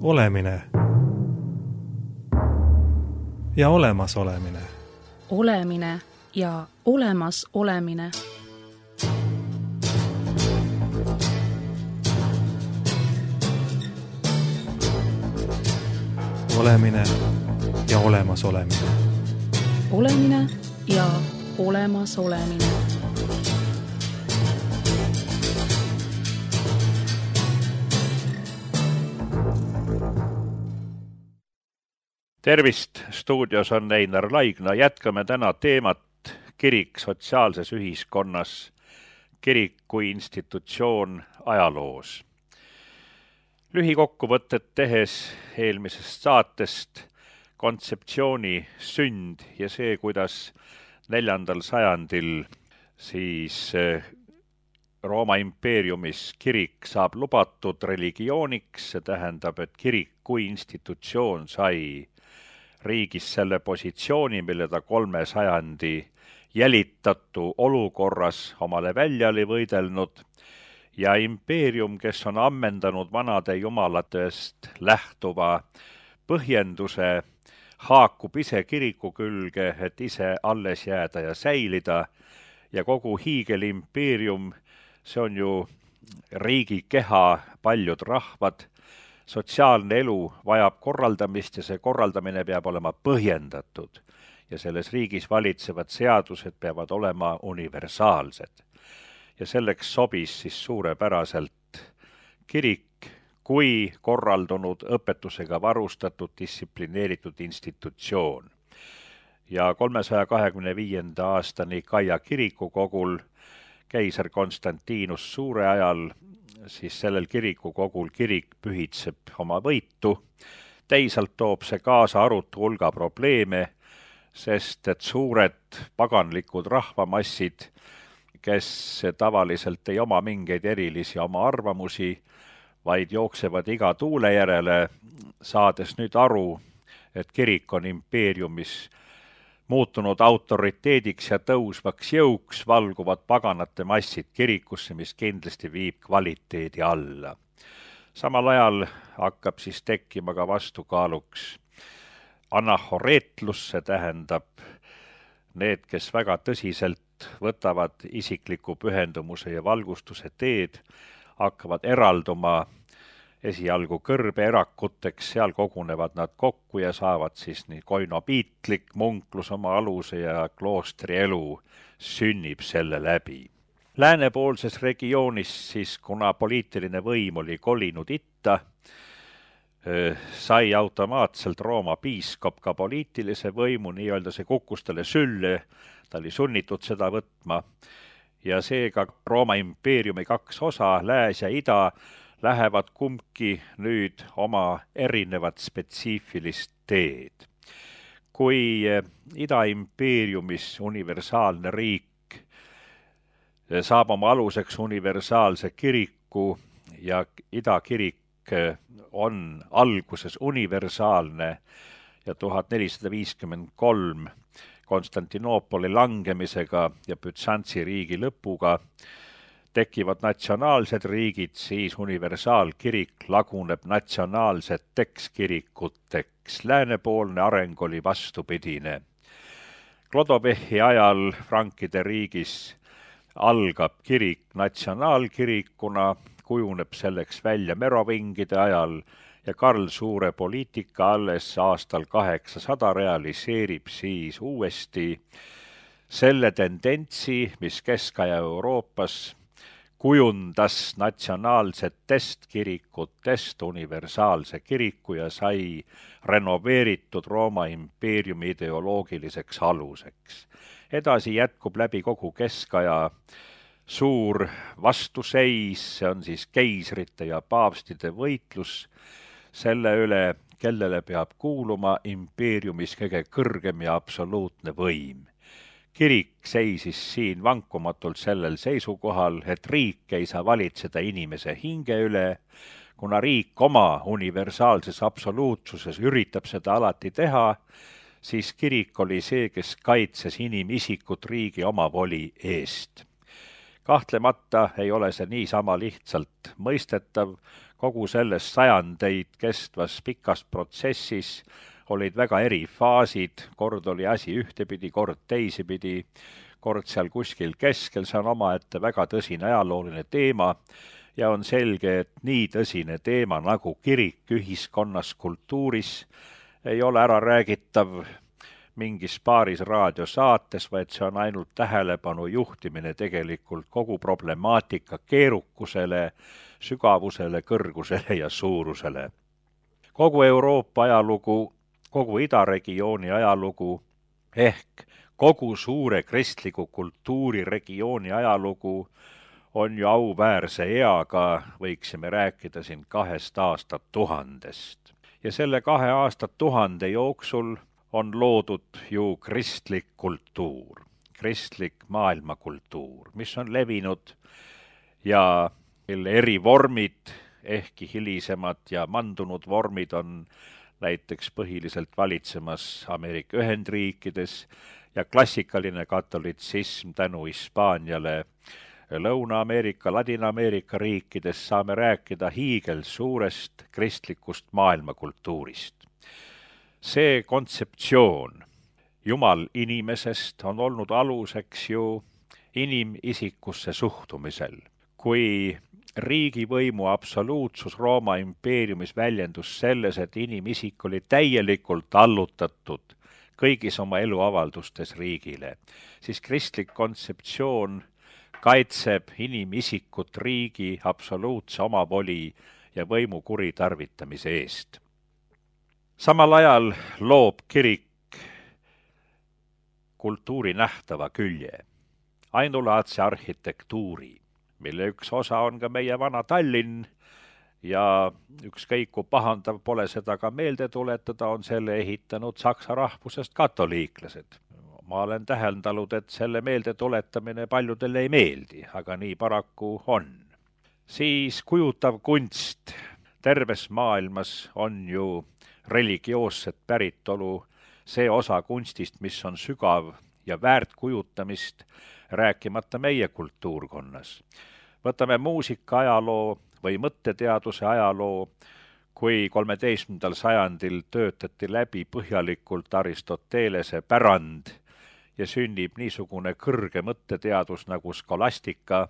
Olemine ja olemasolemine. Olemine ja olemasolemine. Olemine ja olemasolemine. Olemine ja olemasolemine. Tervist, stuudios on Einar Laigna. Jätkame täna teemat kirik sotsiaalses ühiskonnas, kirik kui institutsioon ajaloos. Lühikokkuvõtted tehes eelmisest saatest kontseptsiooni sünd ja see, kuidas 4. sajandil siis Rooma impeeriumis kirik saab lubatud religiooniks, see tähendab, et kirik kui institutsioon sai riigis selle positsiooni, mille ta 3 sajandi jälitatu olukorras omale välja oli võidelnud, ja impeerium, kes on ammendanud vanade jumalatest lähtuva põhjenduse, haakub ise kiriku külge, et ise alles jääda ja säilida, ja kogu hiigelimpeerium, see on ju riigi keha, paljud rahvad, sotsiaalne elu vajab korraldamist ja see korraldamine peab olema põhjendatud ja selles riigis valitsevad seadused peavad olema universaalsed. Ja selleks sobis siis suurepäraselt kirik kui korraldunud õpetusega varustatud distsiplineeritud institutsioon. Ja 325. aasta Nikaia kirikukogul keisar Konstantinus Suure ajal siis sellel kirikukogul kirik pühitseb oma võitu. Teisalt toob see kaasa arutu hulga probleeme, sest et suured paganlikud rahvamassid, kes tavaliselt ei oma mingeid erilisi oma arvamusi, vaid jooksevad iga tuule järele, saades nüüd aru, et kirik on impeeriumis muutunud autoriteediks ja tõusvaks jõuks, valguvad paganate massid kirikusse, mis kindlasti viib kvaliteedi alla. Samal ajal hakkab siis tekkima ka vastukaaluks anahoreetlus, see tähendab need, kes väga tõsiselt võtavad isikliku pühendumuse ja valgustuse teed, hakkavad eralduma esialgu kõrbeerakuteks, seal kogunevad nad kokku ja saavad siis nii koinopiitlik munklus oma aluse ja kloostri elu sünnib selle läbi. Läänepoolses regioonis siis, kuna poliitiline võim oli kolinud itta, sai automaatselt Rooma piiskop ka poliitilise võimu, nii-öelda see kukkus talle sülle, ta oli sunnitud seda võtma ja seega Rooma impeeriumi 2 osa, lääs ja ida, lähevad kumbki nüüd oma erinevat spetsiifilist teed. Kui Ida-impeeriumis universaalne riik saab oma aluseks universaalse kiriku ja Ida-kirik on alguses universaalne ja 1453 Konstantinoopoli langemisega ja Bütsantsi riigi lõpuga tekivad natsionaalsed riigid, siis universaalkirik laguneb natsionaalseteks kirikuteks. Läänepoolne areng oli vastupidine. Klodovehi ajal Frankide riigis algab kirik natsionaalkirikuna, kujuneb selleks välja merovingide ajal ja Karl Suure poliitika alles aastal 800 realiseerib siis uuesti selle tendentsi, mis Kesk-aja Euroopas kujundas natsionaalsetest kirikutest universaalse kiriku ja sai renoveeritud Rooma impeeriumi ideoloogiliseks aluseks. Edasi jätkub läbi kogu keskaja suur vastuseis, see on siis keisrite ja paavstide võitlus selle üle, kellele peab kuuluma impeeriumis kõige kõrgem ja absoluutne võim. Kirik seisis siin vankumatult sellel seisukohal, et riik ei saa valitseda inimese hinge üle, kuna riik oma universaalses absoluutsuses üritab seda alati teha, siis kirik oli see, kes kaitses inimisikut riigi omavoli eest. Kahtlemata ei ole see niisama lihtsalt mõistetav, kogu selles sajandeid kestvas pikas protsessis olid väga eri faasid, kord oli asi ühtepidi, kord teisipidi, kord seal kuskil keskel, see on omaette väga tõsine ajalooline teema ja on selge, et nii tõsine teema nagu kirik ühiskonnas, kultuuris ei ole ära räägitav mingis paaris raadiosaates, vaid see on ainult tähelepanu juhtimine tegelikult kogu problemaatika keerukusele, sügavusele, kõrgusele ja suurusele. Kogu Euroopa ajalugu, kogu idaregiooni ajalugu ehk kogu suure kristliku kultuuriregiooni ajalugu on ju auväärse eaga, võiksime rääkida siin 2 aastatuhandest. Ja selle 2 aastatuhande jooksul on loodud ju kristlik kultuur, kristlik maailmakultuur, mis on levinud ja mille eri vormid, ehkki hilisemad ja mandunud vormid on näiteks põhiliselt valitsemas Ameerika Ühendriikides ja klassikaline katolitsism tänu Hispaaniale Lõuna-Ameerika, Ladina-Ameerika riikides saame rääkida hiigelsuurest kristlikust maailmakultuurist. See kontseptsioon Jumal inimesest on olnud aluseks ju inimisikusse suhtumisel. Kui riigivõimu absoluutsus Rooma impeeriumis väljendus selles, et inimisik oli täielikult allutatud kõigis oma eluavaldustes riigile, siis kristlik kontseptsioon kaitseb inimisikut riigi absoluutse omavoli ja võimu kuritarvitamise eest. Samal ajal loob kirik kultuuri nähtava külje, ainulaadse arhitektuuri, mille üks osa on ka meie vana Tallinn ja ükskõik kui pahandav pole seda ka meelde tuletada, on selle ehitanud saksa rahvusest katoliiklased. Ma olen täheldanud, et selle meelde tuletamine paljudele ei meeldi, aga nii paraku on. Siis kujutav kunst terves maailmas on ju religioosset päritolu, see osa kunstist, mis on sügav ja väärt kujutamist, rääkimata meie kultuurkonnas. Võtame muusika ajaloo või mõtteteaduse ajaloo, kui 13. sajandil töötati läbi põhjalikult Aristotelese pärand ja sünnib niisugune kõrge mõtteteadus nagu skolastika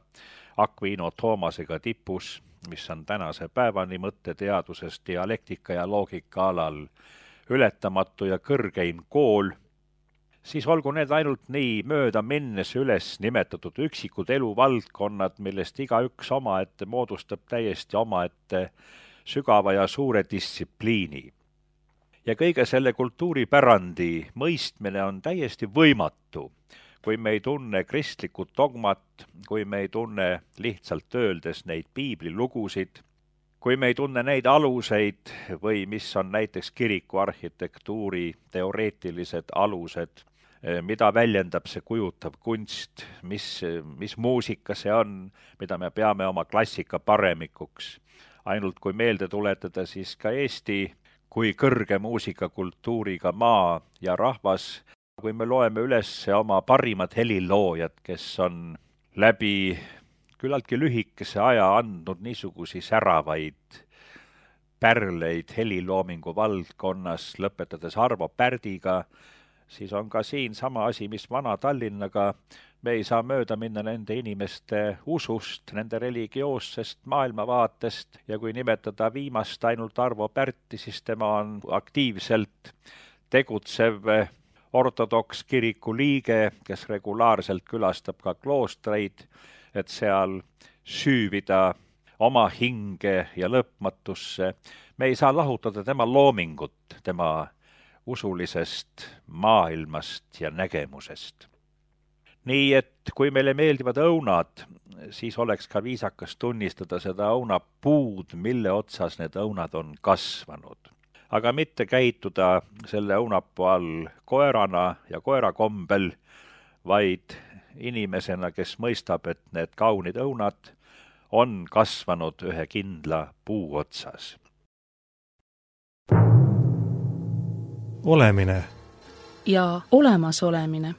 Aquino Thomasega tipus, mis on tänase päevani mõtteteaduses dialektika ja loogika alal ületamatu ja kõrgeim kool, siis olgu need ainult nii mööda minnes üles nimetatud üksikud eluvaldkonnad, millest igaüks omaette moodustab täiesti omaette sügava ja suure distsipliini. Ja kõige selle kultuuripärandi mõistmine on täiesti võimatu, kui me ei tunne kristlikku dogmat, kui me ei tunne lihtsalt öeldes neid piiblilugusid, kui me ei tunne neid aluseid või mis on näiteks kiriku arhitektuuri teoreetilised alused, mida väljendab see kujutav kunst, mis muusika see on, mida me peame oma klassika paremikuks. Ainult kui meelde tuletada siis ka Eesti kui kõrge muusikakultuuriga maa ja rahvas, kui me loeme üles oma parimad heliloojad, kes on läbi küllaltki lühikese aja andnud niisugusi säravaid pärleid heliloomingu valdkonnas, lõpetades Arvo Pärdiga, siis on ka siin sama asi, mis vana Tallinnaga. Me ei saa mööda minna nende inimeste usust, nende religioossest maailmavaatest ja kui nimetada viimast ainult Arvo Pärti, siis tema on aktiivselt tegutsev ortodoks kiriku liige, kes regulaarselt külastab ka kloostreid, et seal süüvida oma hinge ja lõpmatusse. Me ei saa lahutada tema loomingut, tema usulisest maailmast ja nägemusest. Nii et kui meile meeldivad õunad, siis oleks ka viisakas tunnistada seda õunapuud, mille otsas need õunad on kasvanud. Aga mitte käituda selle õunapuu all koerana ja koerakombel, vaid inimesena, kes mõistab, et need kaunid õunad on kasvanud ühe kindla puu otsas. Olemine ja olemasolemine.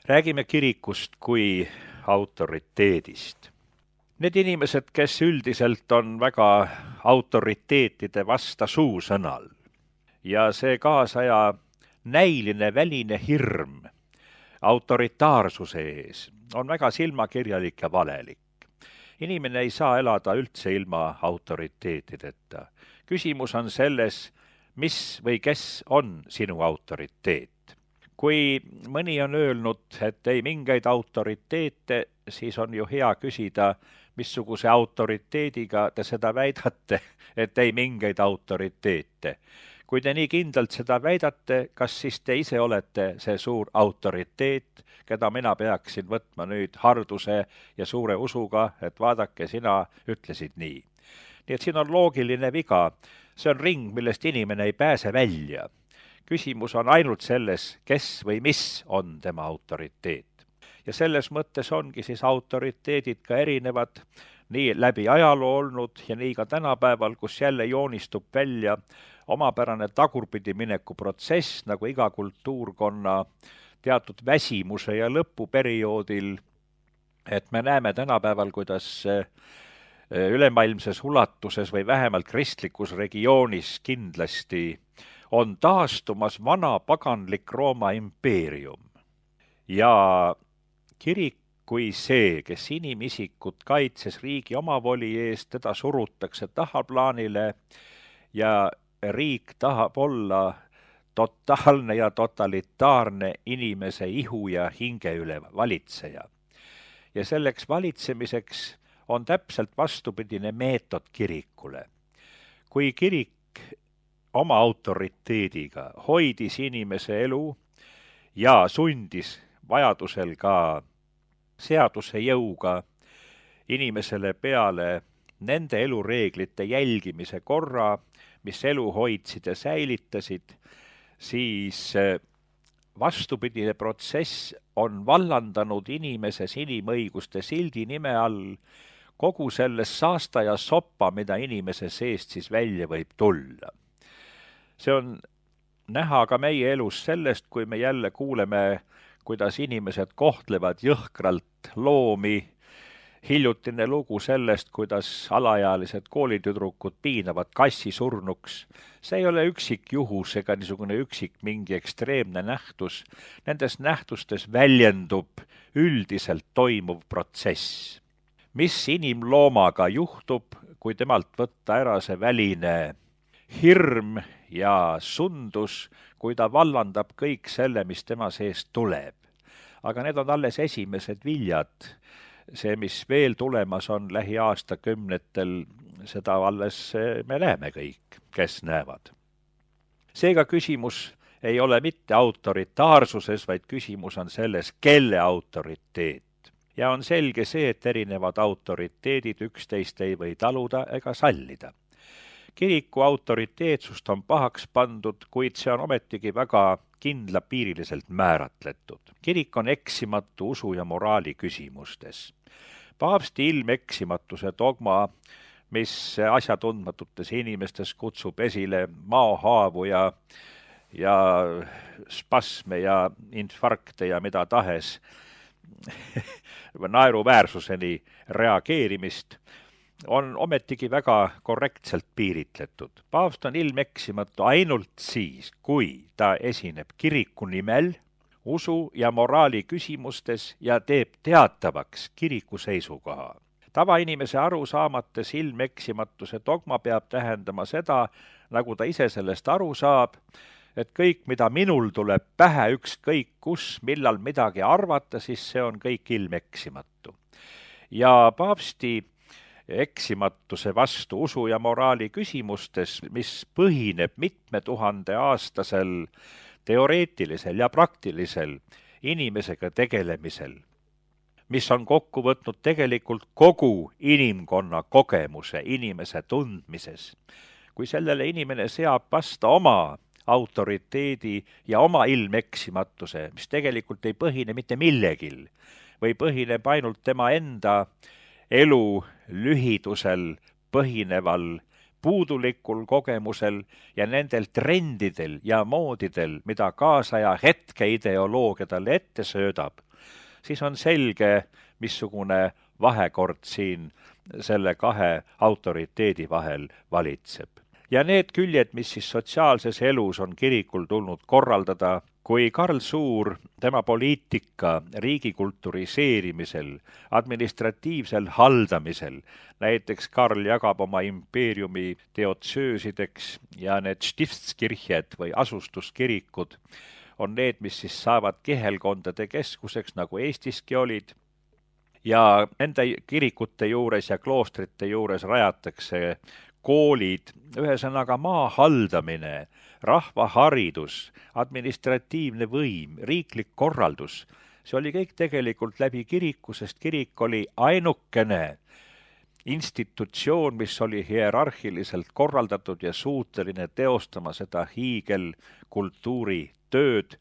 Räägime kirikust kui autoriteedist. Need inimesed, kes üldiselt on väga autoriteetide vasta suusõnal ja see kaasaja näiline väline hirm autoritaarsuse ees on väga silmakirjalik ja valelik. Inimene ei saa elada üldse ilma autoriteetideta. Küsimus on selles, mis või kes on sinu autoriteet. Kui mõni on öelnud, et ei mingeid autoriteete, siis on ju hea küsida, missuguse autoriteediga te seda väidate, et ei mingeid autoriteete. Kui te nii kindlalt seda väidate, kas siis te ise olete see suur autoriteet, keda mina peaksin võtma nüüd harduse ja suure usuga, et vaadake, sina ütlesid nii. Nii et siin on loogiline viga. See on ring, millest inimene ei pääse välja. Küsimus on ainult selles, kes või mis on tema autoriteet. Ja selles mõttes ongi siis autoriteedid ka erinevad, nii läbi ajaloo olnud ja nii ka tänapäeval, kus jälle joonistub välja omapärane tagurpidi mineku protsess, nagu iga kultuurkonna teatud väsimuse ja lõpuperioodil, et me näeme tänapäeval, kuidas ülemaailmses ulatuses või vähemalt kristlikus regioonis kindlasti on taastumas vana paganlik Rooma impeerium. Ja kirik kui see, kes inimisikut kaitses riigi omavoli eest, teda surutakse tahaplaanile ja riik tahab olla totaalne ja totalitaarne inimese ihu ja hinge üle valitseja. Ja selleks valitsemiseks on täpselt vastupidine meetod kirikule. Kui kirik oma autoriteediga hoidis inimese elu ja sundis vajadusel ka seaduse jõuga inimesele peale nende elureeglite jälgimise korra, mis elu hoidsid ja säilitasid, siis vastupidine protsess on vallandanud inimeses inimõiguste sildi nime all kogu selles saasta ja soppa, mida inimese seest siis välja võib tulla. See on näha ka meie elus sellest, kui me jälle kuuleme, kuidas inimesed kohtlevad jõhkralt loomi. Hiljutine lugu sellest, kuidas alaealised koolitüdrukud piinavad kassi surnuks. See ei ole üksik juhus ega niisugune üksik mingi ekstreemne nähtus. Nendes nähtustes väljendub üldiselt toimuv protsess. Mis inimloomaga juhtub, kui temalt võtta ära see väline hirm ja sundus, kui ta vallandab kõik selle, mis tema seest tuleb. Aga need on alles esimesed viljad. See, mis veel tulemas on lähiaastakümnetel, seda alles me näeme kõik, kes näevad. Seega küsimus ei ole mitte autoritaarsuses, vaid küsimus on selles, kelle autoriteet. Ja on selge see, et erinevad autoriteedid üksteist ei või taluda ega sallida. Kiriku autoriteetsust on pahaks pandud, kuid see on ometigi väga kindlapiiriliselt määratletud. Kirik on eksimatu usu ja moraali küsimustes. Paavsti ilmeksimatuse dogma, mis asjatundmatutes inimestes kutsub esile maohaavu ja spasme ja infarkte ja mida tahes naeruväärsuseni reageerimist, on ometigi väga korrektselt piiritletud. Paavst on ilmeksimatu ainult siis, kui ta esineb kiriku nimel usu ja moraali küsimustes ja teeb teatavaks kiriku seisukoha. Tavainimese arusaamates ilmeksimatuse dogma peab tähendama seda, nagu ta ise sellest aru saab, et kõik, mida minul tuleb pähe ükskõik kus, millal midagi arvata, siis see on kõik ilmeksimatu. Ja paavsti eksimatuse vastu usu ja moraali küsimustes, mis põhineb mitme tuhande aastasel teoreetilisel ja praktilisel inimesega tegelemisel, mis on kokku võtnud tegelikult kogu inimkonna kogemuse inimese tundmises. Kui sellele inimene seab vasta oma autoriteedi ja oma ilmeksimatuse, mis tegelikult ei põhine mitte millegil või põhineb ainult tema enda elu lühidusel põhineval puudulikul kogemusel ja nendel trendidel ja moodidel, mida kaasaja hetke ideoloogia talle ette söödab, siis on selge, missugune vahekord siin selle kahe autoriteedi vahel valitseb. Ja need küljed, mis siis sotsiaalses elus on kirikul tulnud korraldada, kui Karl Suur, tema poliitika riigi kulturiseerimisel, administratiivsel haldamisel, näiteks Karl jagab oma impeeriumi teotsöösideks ja need Stiftskirjed või asustuskirikud on need, mis siis saavad kihelkondade keskuseks, nagu Eestiski olid, ja nende kirikute juures ja kloostrite juures rajatakse koolid, ühesõnaga maa haldamine, rahvaharidus, administratiivne võim, riiklik korraldus, see oli kõik tegelikult läbi kiriku, sest kirik oli ainukene institutsioon, mis oli hierarhiliselt korraldatud ja suuteline teostama seda hiigelkultuuri tööd,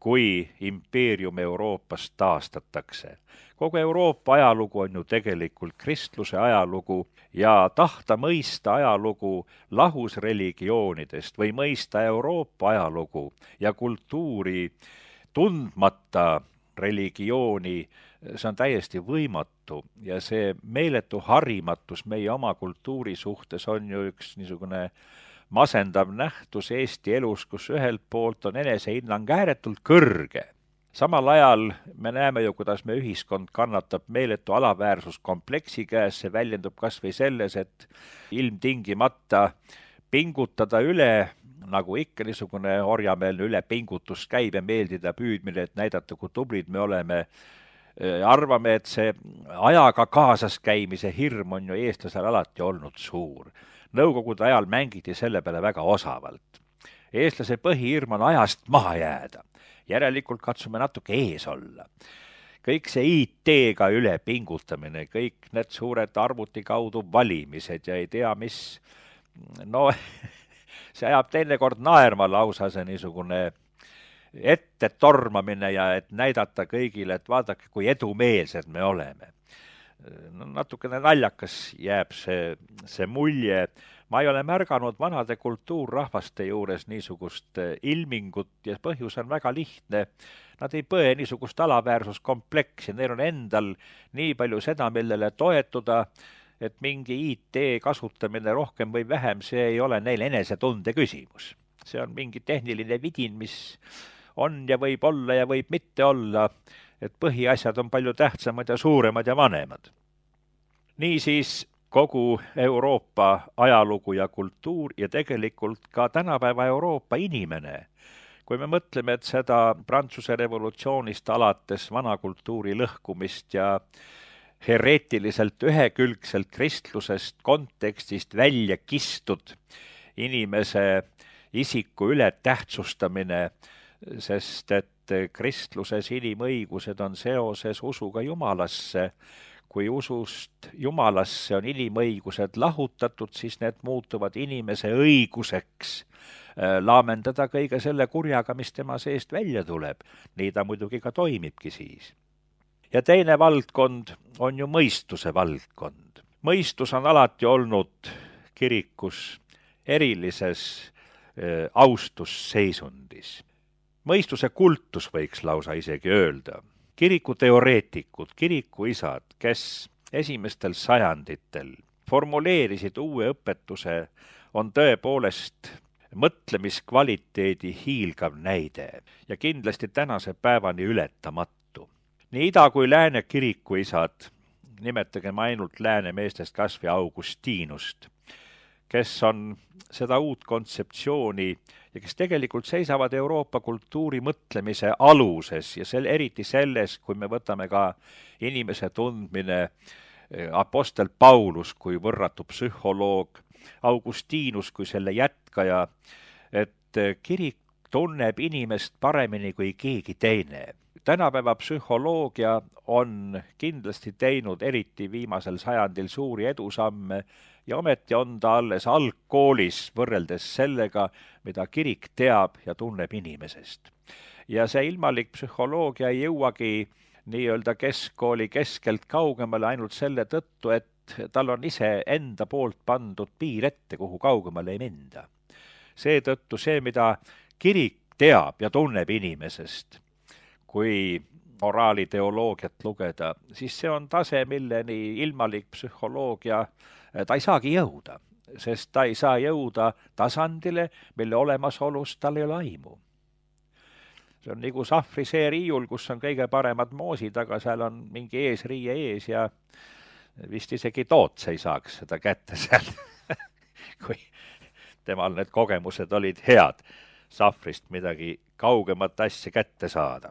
kui impeerium Euroopas taastatakse. Kogu Euroopa ajalugu on ju tegelikult kristluse ajalugu ja tahta mõista ajalugu lahus religioonidest või mõista Euroopa ajalugu ja kultuuri tundmata religiooni, see on täiesti võimatu ja see meeletu harimatus meie oma kultuuri suhtes on ju üks niisugune masendav nähtus Eesti elus, kus ühelt poolt on enesehinnang ääretult kõrge. Samal ajal me näeme ju, kuidas me ühiskond kannatab meeletu alaväärsuskompleksi käes, see väljendub kas või selles, et ilmtingimata pingutada üle, nagu ikka niisugune orjameelne ülepingutus käib ja meeldida püüdmine, et näidata, kui tublid me oleme. Arvame, et see ajaga kaasas käimise hirm on ju eestlasel alati olnud suur. Nõukogude ajal mängiti selle peale väga osavalt. Eestlase põhihirm on ajast maha jääda. Järelikult katsume natuke ees olla. Kõik see IT-ga üle pingutamine, kõik need suured arvuti kaudu valimised ja ei tea mis, no see ajab teinekord naerma lausa see niisugune ette tormamine ja et näidata kõigile, et vaadake, kui edumeelsed me oleme. No, natukene naljakas jääb see mulje. Ma ei ole märganud vanade kultuurrahvaste juures niisugust ilmingut ja põhjus on väga lihtne. Nad ei põe niisugust alaväärsuskompleksi, neil on endal nii palju seda, millele toetuda, et mingi IT kasutamine rohkem või vähem, see ei ole neil enesetunde küsimus. See on mingi tehniline vidin, mis on ja võib olla ja võib mitte olla, et põhiasjad on palju tähtsamad ja suuremad ja vanemad. Niisiis kogu Euroopa ajalugu ja kultuur ja tegelikult ka tänapäeva Euroopa inimene. Kui me mõtleme, et seda Prantsuse revolutsioonist alates vana kultuuri lõhkumist ja hereetiliselt ühekülgselt kristlusest kontekstist välja kistud inimese isiku ületähtsustamine, sest et kristluses inimõigused on seoses usuga Jumalasse. Kui usust Jumalasse on inimõigused lahutatud, siis need muutuvad inimese õiguseks laamendada kõige selle kurjaga, mis tema seest välja tuleb. Nii ta muidugi ka toimibki siis. Ja teine valdkond on ju mõistuse valdkond. Mõistus on alati olnud kirikus erilises austusseisundis. Mõistuse kultus võiks lausa isegi öelda. Kirikuteoreetikud, kirikuisad, kes esimestel sajanditel formuleerisid uue õpetuse, on tõepoolest mõtlemiskvaliteedi hiilgav näide ja kindlasti tänase päevani ületamatu. Nii ida kui lääne kirikuisad, nimetagem ainult lääne meestest kas või Augustinust, kes on seda uut kontseptsiooni ja kes tegelikult seisavad Euroopa kultuuri mõtlemise aluses ja eriti selles, kui me võtame ka inimese tundmine apostel Paulus kui võrratu psühholoog, Augustinus kui selle jätkaja, et kirik tunneb inimest paremini kui keegi teine. Tänapäeva psühholoogia on kindlasti teinud eriti viimasel sajandil suuri edusamme ja ometi on ta alles algkoolis võrreldes sellega, mida kirik teab ja tunneb inimesest. Ja see ilmalik psühholoogia ei jõuagi nii-öelda keskkooli keskelt kaugemale ainult selle tõttu, et tal on ise enda poolt pandud piir ette, kuhu kaugemale ei minda. Seetõttu see, mida kirik teab ja tunneb inimesest, kui moraaliteoloogiat lugeda, siis see on tase, milleni ilmalik psühholoogia, ta ei saagi jõuda, sest ta ei saa jõuda tasandile, mille olemasolust tal ei ole aimu. See on nagu sahvri see riiul, kus on kõige paremad moosid, aga seal on mingi eesriie ees ja vist isegi Toots ei saaks seda kätte seal, kui temal need kogemused olid head sahvrist midagi kaugemat asja kätte saada.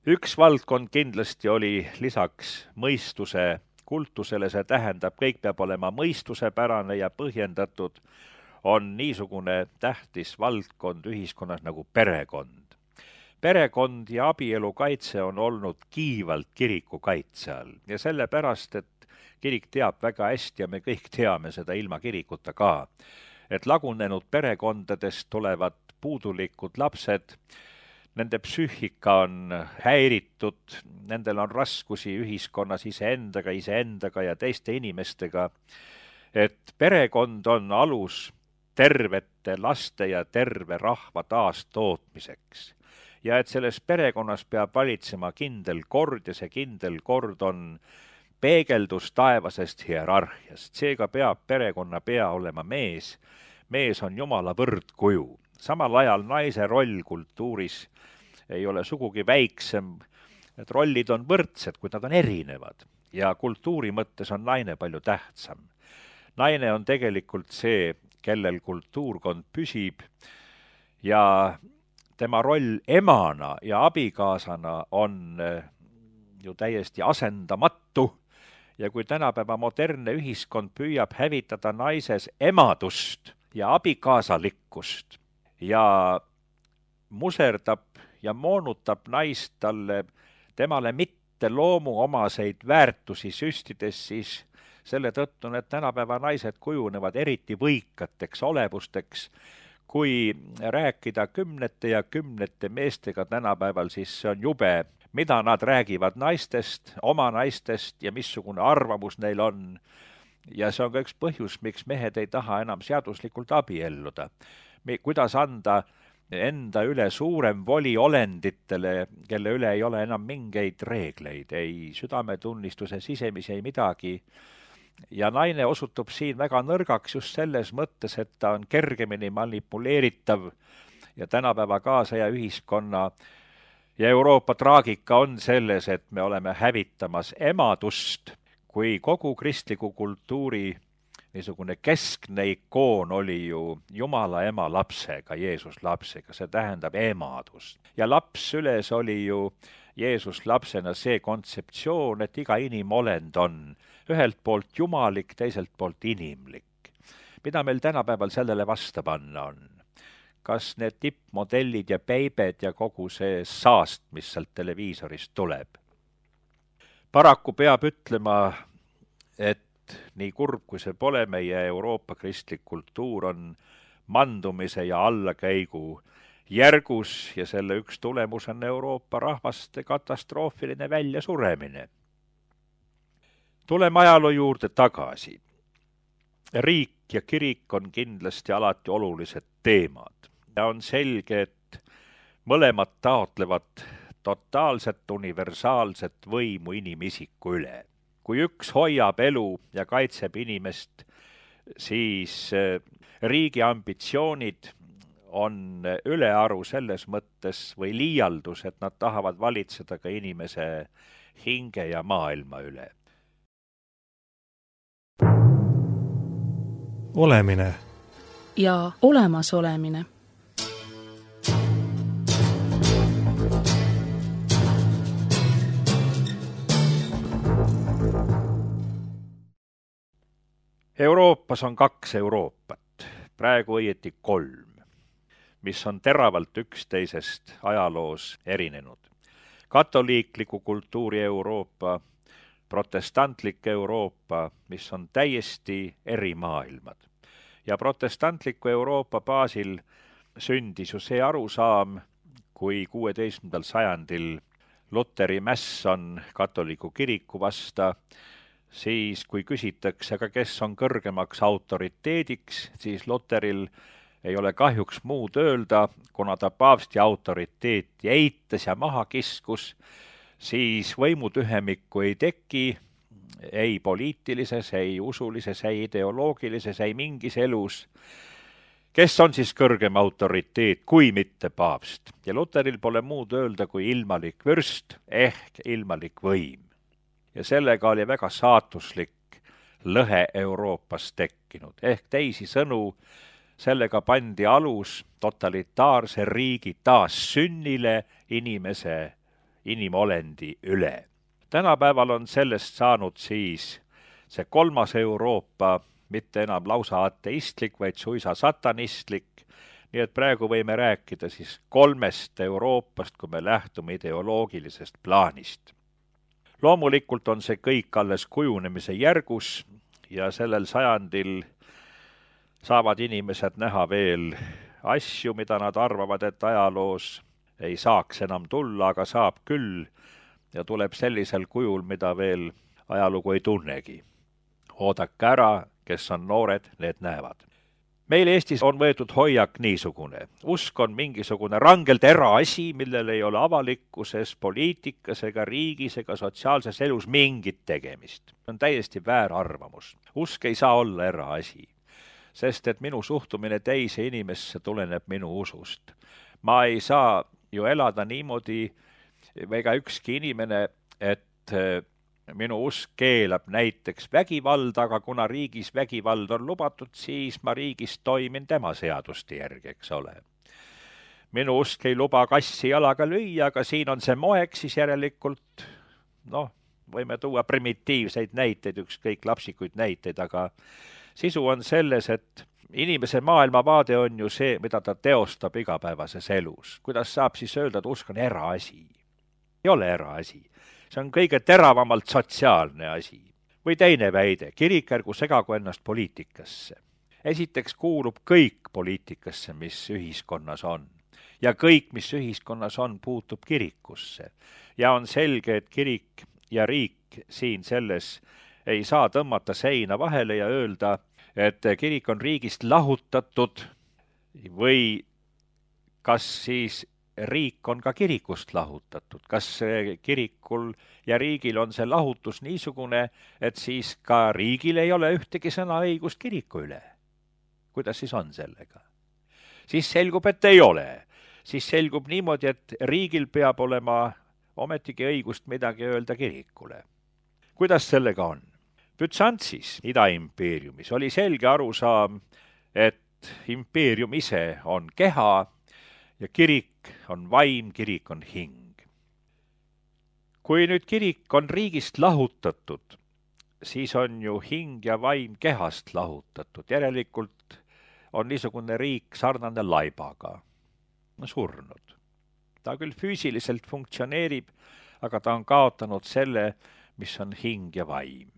Üks valdkond kindlasti oli lisaks mõistuse kultusele, see tähendab, kõik peab olema mõistusepärane ja põhjendatud, on niisugune tähtis valdkond ühiskonnas nagu perekond. Perekond ja abielu kaitse on olnud kiivalt kiriku kaitse all ja sellepärast, et kirik teab väga hästi ja me kõik teame seda ilma kirikuta ka, et lagunenud perekondadest tulevad puudulikud lapsed, nende psüühika on häiritud, nendel on raskusi ühiskonnas iseendaga ja teiste inimestega, et perekond on alus tervete laste ja terve rahva taastootmiseks. Ja et selles perekonnas peab valitsema kindel kord ja see kindel kord on peegeldus taevasest hierarhiast. Seega peab perekonna pea olema mees. Mees on Jumala võrdkuju. Samal ajal naise roll kultuuris ei ole sugugi väiksem. Need rollid on võrdsed, kuid nad on erinevad. Ja kultuuri mõttes on naine palju tähtsam. Naine on tegelikult see, kellel kultuurkond püsib ja tema roll emana ja abikaasana on ju täiesti asendamatu ja kui tänapäeva modernne ühiskond püüab hävitada naises emadust ja abikaasalikkust ja muserdab ja moonutab naist temale mitte loomuomaseid väärtusi süstides, siis selle tõttu need tänapäeva naised kujunevad eriti võikateks olevusteks. Kui rääkida kümnete ja kümnete meestega tänapäeval, siis see on jube, mida nad räägivad naistest, oma naistest ja missugune arvamus neil on. Ja see on ka üks põhjus, miks mehed ei taha enam seaduslikult abielluda. Kuidas anda enda üle suurem voli olenditele, kelle üle ei ole enam mingeid reegleid, ei südametunnistuse sisemisi, ei midagi. Ja naine osutub siin väga nõrgaks just selles mõttes, et ta on kergemini manipuleeritav ja tänapäeva kaasaja ühiskonna ja Euroopa traagika on selles, et me oleme hävitamas emadust, kui kogu kristliku kultuuri niisugune keskne ikoon oli ju Jumala ema lapsega, Jeesus lapsega, see tähendab emadust. Ja laps süles oli ju Jeesus lapsena see kontseptsioon, et iga inimolend on ühelt poolt jumalik, teiselt poolt inimlik. Mida meil tänapäeval sellele vasta panna on? Kas need tippmodellid ja peibed ja kogu see saast, mis sealt televiisorist tuleb? Paraku peab ütlema, et nii kurb kui see pole, meie Euroopa kristlik kultuur on mandumise ja allakäigu järgus ja selle üks tulemus on Euroopa rahvaste katastroofiline väljasuremine. Tuleme ajaloo juurde tagasi. Riik ja kirik on kindlasti alati olulised teemad ja on selge, et mõlemad taotlevad totaalset universaalset võimu inimisiku üle. Kui üks hoiab elu ja kaitseb inimest, siis riigi ambitsioonid on ülearu selles mõttes või liialdus, et nad tahavad valitseda ka inimese hinge ja maailma üle. Olemine ja olemasolemine. Euroopas on 2 Euroopat, praegu õieti 3, mis on teravalt üksteisest ajaloos erinenud. Katoliikliku kultuuri Euroopa, protestantlik Euroopa, mis on täiesti eri maailmad. Ja protestantliku Euroopa baasil sündis ju see arusaam, kui 16. sajandil Luteri mäss on katoliku kiriku vasta, siis kui küsitakse, aga kes on kõrgemaks autoriteediks, siis Luteril ei ole kahjuks muud öelda, kuna ta paavsti autoriteeti eitas ja maha kiskus, siis võimutühemikku ei teki ei poliitilises, ei usulises, ei ideoloogilises, ei mingis elus. Kes on siis kõrgem autoriteet, kui mitte paavst? Ja Luteril pole muud öelda kui ilmalik vürst ehk ilmalik võim. Ja sellega oli väga saatuslik lõhe Euroopas tekkinud. Ehk teisi sõnu, sellega pandi alus totalitaarse riigi taassünnile inimolendi üle. Tänapäeval on sellest saanud siis see kolmas Euroopa, mitte enam lausa ateistlik, vaid suisa satanistlik. Nii et praegu võime rääkida siis kolmest Euroopast, kui me lähtume ideoloogilisest plaanist. Loomulikult on see kõik alles kujunemise järgus ja sellel sajandil saavad inimesed näha veel asju, mida nad arvavad, et ajaloos ei saaks enam tulla, aga saab küll ja tuleb sellisel kujul, mida veel ajalugu ei tunnegi. Oodake ära, kes on noored, need näevad. Meil Eestis on võetud hoiak niisugune. Usk on mingisugune rangelt eraasi, millel ei ole avalikkuses, poliitikas ega riigis ega sotsiaalses elus mingit tegemist. See on täiesti väär arvamus. Usk ei saa olla eraasi, sest et minu suhtumine teise inimesse tuleneb minu usust. Ma ei saa ju elada niimoodi, ega ükski inimene, et minu usk keelab näiteks vägivalda, aga kuna riigis vägivald on lubatud, siis ma riigis toimin tema seaduste järgi, eks ole. Minu usk ei luba kassi jalaga lüüa, aga siin on see moeks, siis järelikult, võime tuua primitiivseid näiteid, ükskõik lapsikuid näiteid, aga sisu on selles, et inimese maailmavaade on ju see, mida ta teostab igapäevases elus. Kuidas saab siis öelda, et usk on eraasi? Ei ole eraasi. See on kõige teravamalt sotsiaalne asi. Või teine väide, kirik ärgu segagu ennast poliitikasse. Esiteks kuulub kõik poliitikasse, mis ühiskonnas on. Ja kõik, mis ühiskonnas on, puutub kirikusse. Ja on selge, et kirik ja riik siin selles ei saa tõmmata seina vahele ja öelda, et kirik on riigist lahutatud või kas siis riik on ka kirikust lahutatud. Kas kirikul ja riigil on see lahutus niisugune, et siis ka riigil ei ole ühtegi sõnaõigust kiriku üle? Kuidas siis on sellega? Siis selgub, et ei ole. Siis selgub niimoodi, et riigil peab olema ometigi õigust midagi öelda kirikule. Kuidas sellega on? Bütsantsis, Ida-impeeriumis, oli selge arusaam, et impeerium ise on keha ja kirik on vaim, kirik on hing. Kui nüüd kirik on riigist lahutatud, siis on ju hing ja vaim kehast lahutatud. Järelikult on niisugune riik sarnane laibaga, surnud. Ta küll füüsiliselt funktsioneerib, aga ta on kaotanud selle, mis on hing ja vaim.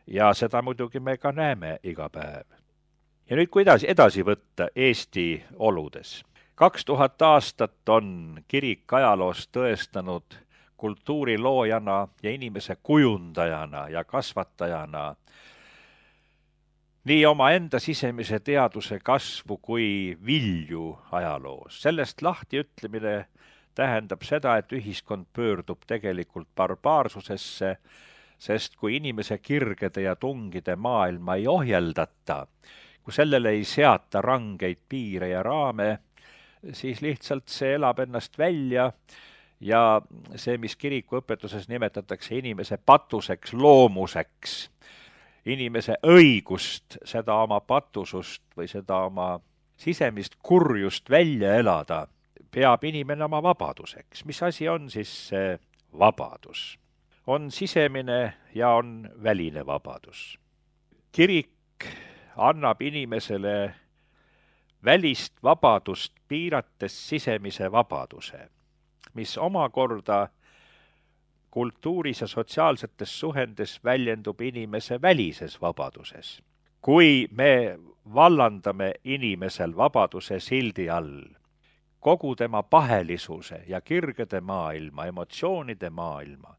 Ja seda muidugi me ka näeme iga päev. Ja nüüd kuidas edasi võtta Eesti oludes? 2000 aastat on kirik ajaloos tõestanud kultuuriloojana ja inimese kujundajana ja kasvatajana nii oma enda sisemise teaduse kasvu kui vilju ajaloos. Sellest lahti ütlemine tähendab seda, et ühiskond pöördub tegelikult barbaarsusesse, sest kui inimese kirgede ja tungide maailma ei ohjeldata, kui sellele ei seata rangeid piire ja raame, siis lihtsalt see elab ennast välja ja see, mis kirikuõpetuses nimetatakse inimese patuseks, loomuseks, inimese õigust seda oma patusust või seda oma sisemist kurjust välja elada, peab inimene oma vabaduseks. Mis asi on siis see vabadus? On sisemine ja on väline vabadus. Kirik annab inimesele välist vabadust piirates sisemise vabaduse, mis omakorda kultuuris ja sotsiaalsetes suhendes väljendub inimese välises vabaduses. Kui me vallandame inimesel vabaduse sildi all kogu tema pahelisuse ja kirgede maailma, emotsioonide maailma,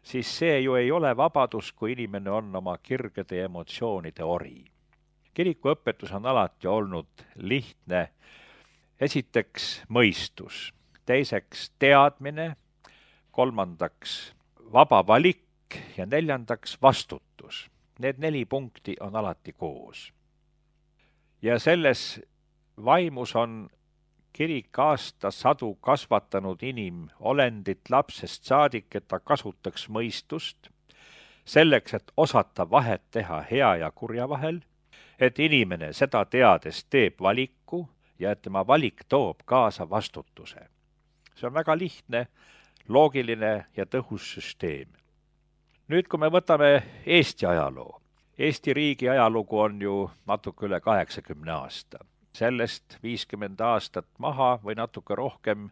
siis see ju ei ole vabadus, kui inimene on oma kirgede ja emotsioonide ori. Kirikuõpetus on alati olnud lihtne. Esiteks mõistus, teiseks teadmine, kolmandaks vaba valik ja neljandaks vastutus. Need 4 punkti on alati koos. Ja selles vaimus on kirik aastasadu kasvatanud inimolendit lapsest saadik, et ta kasutaks mõistust, selleks, et osata vahet teha hea ja kurja vahel, et inimene seda teades teeb valiku ja et tema valik toob kaasa vastutuse. See on väga lihtne, loogiline ja tõhus süsteem. Nüüd, kui me võtame Eesti ajaloo. Eesti riigi ajalugu on ju natuke üle 80 aasta. Sellest 50 aastat maha või natuke rohkem,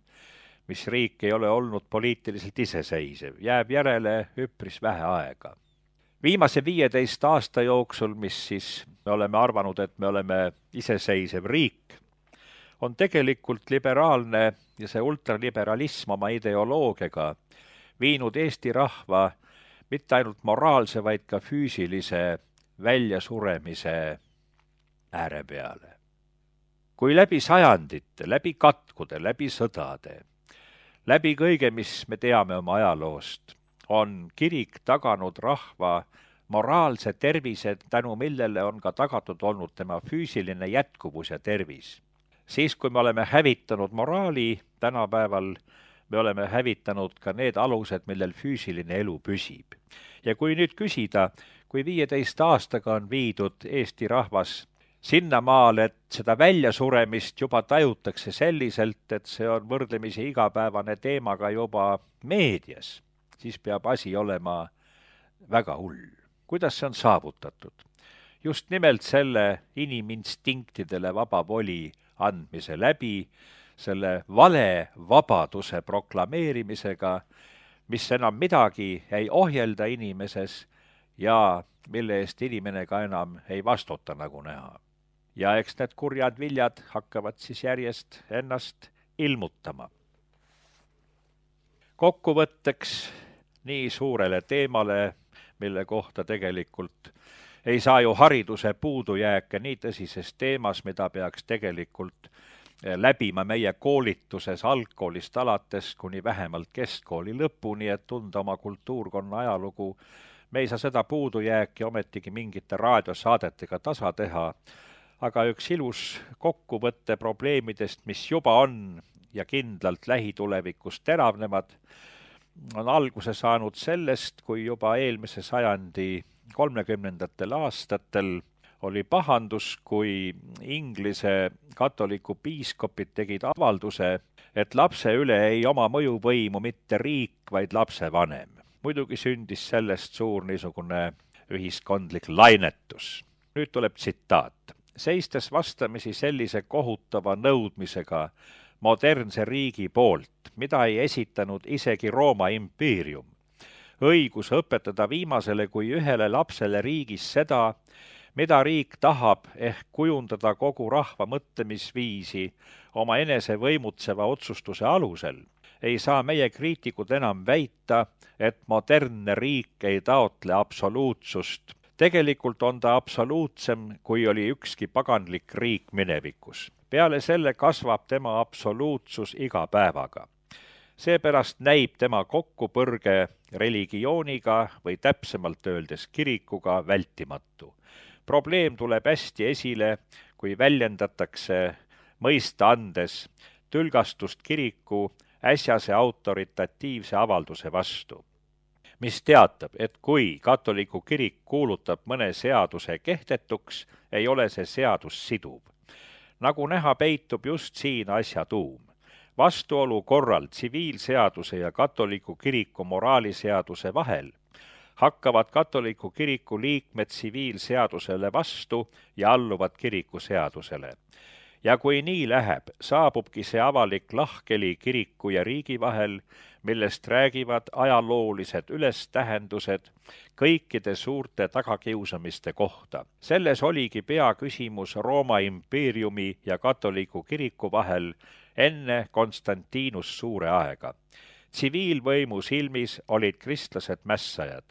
mis riik ei ole olnud poliitiliselt iseseisev, jääb järele üpris vähe aega. Viimase 15 aasta jooksul, mis siis me oleme arvanud, et me oleme iseseisev riik, on tegelikult liberaalne ja see ultraliberalism oma ideoloogiaga viinud Eesti rahva mitte ainult moraalse, vaid ka füüsilise väljasuremise ääre peale. Kui läbi sajandite, läbi katkude, läbi sõdade, läbi kõige, mis me teame oma ajaloost, on kirik taganud rahva moraalse tervise, tänu millele on ka tagatud olnud tema füüsiline jätkuvus ja tervis. Siis, kui me oleme hävitanud moraali, tänapäeval me oleme hävitanud ka need alused, millel füüsiline elu püsib. Ja kui nüüd küsida, kui 15 aastaga on viidud Eesti rahvas sinnamaal, et seda väljasuremist juba tajutakse selliselt, et see on võrdlemisi igapäevane teemaga juba meedias, siis peab asi olema väga hull. Kuidas see on saavutatud? Just nimelt selle iniminstinktidele vaba voli andmise läbi, selle vale vabaduse proklameerimisega, mis enam midagi ei ohjelda inimeses ja mille eest inimene ka enam ei vastuta, nagu näha. Ja eks need kurjad viljad hakkavad siis järjest ennast ilmutama. Kokkuvõtteks nii suurele teemale, mille kohta tegelikult ei saa ju hariduse puudujääke nii tõsises teemas, mida peaks tegelikult läbima meie koolituses algkoolist alates kuni vähemalt keskkooli lõpuni, et tunda oma kultuurkonna ajalugu. Me ei saa seda puudujääki ometigi mingite raadiosaadetega tasa teha, aga üks ilus kokkuvõtte probleemidest, mis juba on ja kindlalt lähitulevikus teravnevad, on alguse saanud sellest, kui juba eelmise sajandi 30. aastatel oli pahandus, kui Inglise katoliku piiskopid tegid avalduse, et lapse üle ei oma mõjuvõimu mitte riik, vaid lapsevanem. Muidugi sündis sellest suur niisugune ühiskondlik lainetus. Nüüd tuleb tsitaat. Seistes vastamisi sellise kohutava nõudmisega modernse riigi poolt, mida ei esitanud isegi Rooma impeerium. Õigus õpetada viimasele kui ühele lapsele riigis seda, mida riik tahab ehk kujundada kogu rahva mõtlemisviisi oma enese võimutseva otsustuse alusel, ei saa meie kriitikud enam väita, et modernne riik ei taotle absoluutsust. Tegelikult on ta absoluutsem, kui oli ükski paganlik riik minevikus. Peale selle kasvab tema absoluutsus iga päevaga. Seepärast näib tema kokkupõrge religiooniga või täpsemalt öeldes kirikuga vältimatu. Probleem tuleb hästi esile, kui väljendatakse mõista andes tülgastust kiriku äsjase autoritatiivse avalduse vastu, mis teatab, et kui katoliku kirik kuulutab mõne seaduse kehtetuks, ei ole see seadus siduv. Nagu näha, peitub just siin asja tuum. Vastuolu korral tsiviilseaduse ja katoliku kiriku moraaliseaduse vahel hakkavad katoliku kiriku liikmed tsiviilseadusele vastu ja alluvad kiriku seadusele. Ja kui nii läheb, saabubki see avalik lahkeli kiriku ja riigi vahel, millest räägivad ajaloolised ülestähendused kõikide suurte tagakiusamiste kohta. Selles oligi peaküsimus Rooma impeeriumi ja katoliku kiriku vahel enne Konstantinus suure aega. Tsiviilvõimu silmis olid kristlased mässajad.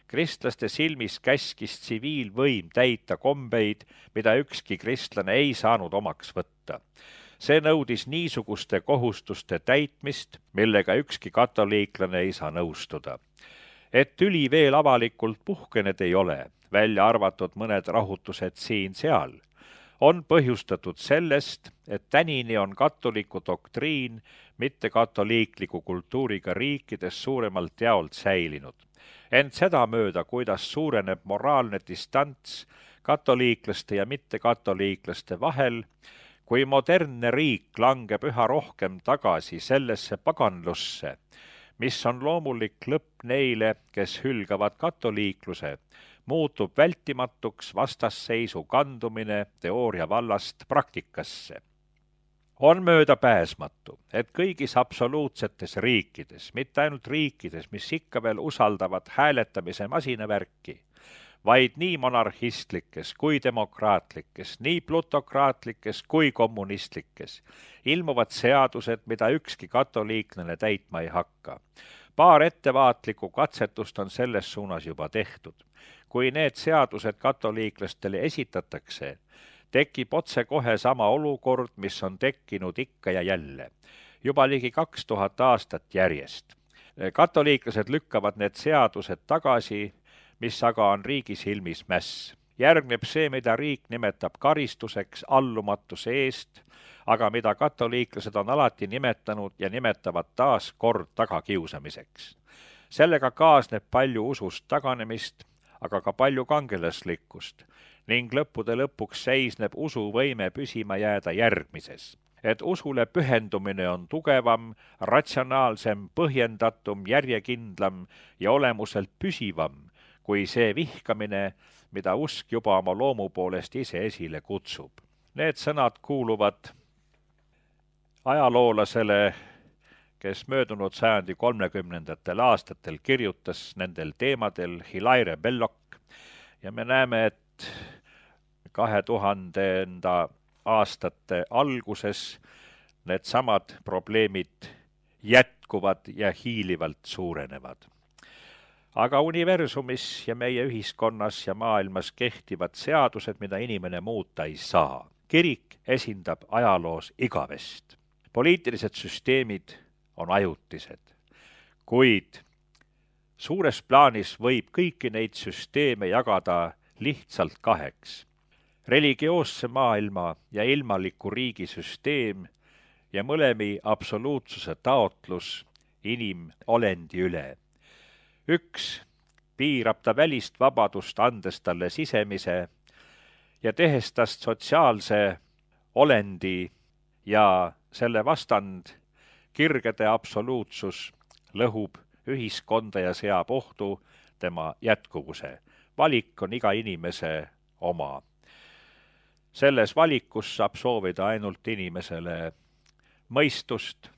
Kristlaste silmis käskis tsiviilvõim täita kombeid, mida ükski kristlane ei saanud omaks võtta. See nõudis niisuguste kohustuste täitmist, millega ükski katoliiklane ei saa nõustuda. Et tüli veel avalikult puhkenud ei ole, välja arvatud mõned rahutused siin-seal, on põhjustatud sellest, et tänini on katoliku doktriin mitte katoliikliku kultuuriga riikides suuremalt jaolt säilinud. Ent sedamööda, kuidas suureneb moraalne distants katoliiklaste ja mittekatoliiklaste vahel, kui modernne riik langeb üha rohkem tagasi sellesse paganlusse, mis on loomulik lõpp neile, kes hülgavad katoliikluse, muutub vältimatuks vastasseisu kandumine teooria vallast praktikasse. On möödapääsmatu, et kõigis absoluutsetes riikides, mitte ainult riikides, mis ikka veel usaldavad hääletamise masinavärki, vaid nii monarhistlikes kui demokraatlikes, nii plutokraatlikes kui kommunistlikes, ilmuvad seadused, mida ükski katoliiklane täitma ei hakka. Paar ettevaatlikku katsetust on selles suunas juba tehtud. Kui need seadused katoliiklastele esitatakse, tekib otsekohe sama olukord, mis on tekkinud ikka ja jälle, juba ligi 2000 aastat järjest. Katoliiklased lükkavad need seadused tagasi, mis aga on riigi silmis mäss. Järgneb see, mida riik nimetab karistuseks allumatuse eest, aga mida katoliiklased on alati nimetanud ja nimetavad taas kord tagakiusamiseks. Sellega kaasneb palju usust taganemist, aga ka palju kangelaslikkust ning lõppude lõpuks seisneb usuvõime püsima jääda järgmises. Et usule pühendumine on tugevam, ratsionaalsem, põhjendatum, järjekindlam ja olemuselt püsivam kui see vihkamine, mida usk juba oma loomu poolest ise esile kutsub. Need sõnad kuuluvad ajaloolasele, kes möödunud sajandi 30. aastatel kirjutas nendel teemadel Hilaire Belloc ja me näeme, et 2000. aastate alguses need samad probleemid jätkuvad ja hiilivalt suurenevad. Aga universumis ja meie ühiskonnas ja maailmas kehtivad seadused, mida inimene muuta ei saa. Kirik esindab ajaloos igavest. Poliitilised süsteemid on ajutised, kuid suures plaanis võib kõiki neid süsteeme jagada lihtsalt kaheks. Religioosse maailma ja ilmaliku riigi süsteem ja mõlemi absoluutsuse taotlus inimolendi üle. Üks piirab ta välist vabadust, andes talle sisemise ja tehes tast sotsiaalse olendi ja selle vastand kirgede absoluutsus lõhub ühiskonda ja seab ohtu tema jätkuvuse. Valik on iga inimese oma. Selles valikus saab soovida ainult inimesele mõistust,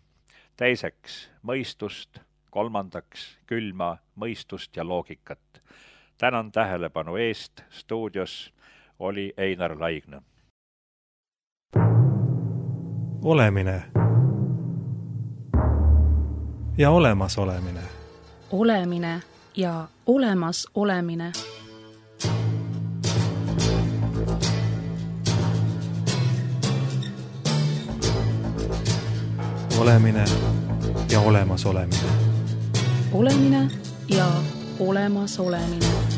teiseks mõistust, kolmandaks külma mõistust ja loogikat. Tänan tähelepanu eest, stuudios oli Einar Laigna. Olemine ja olemas olemine. Olemine ja olemas olemine. Olemine ja olemas olemine. Olemine ja olemas olemine.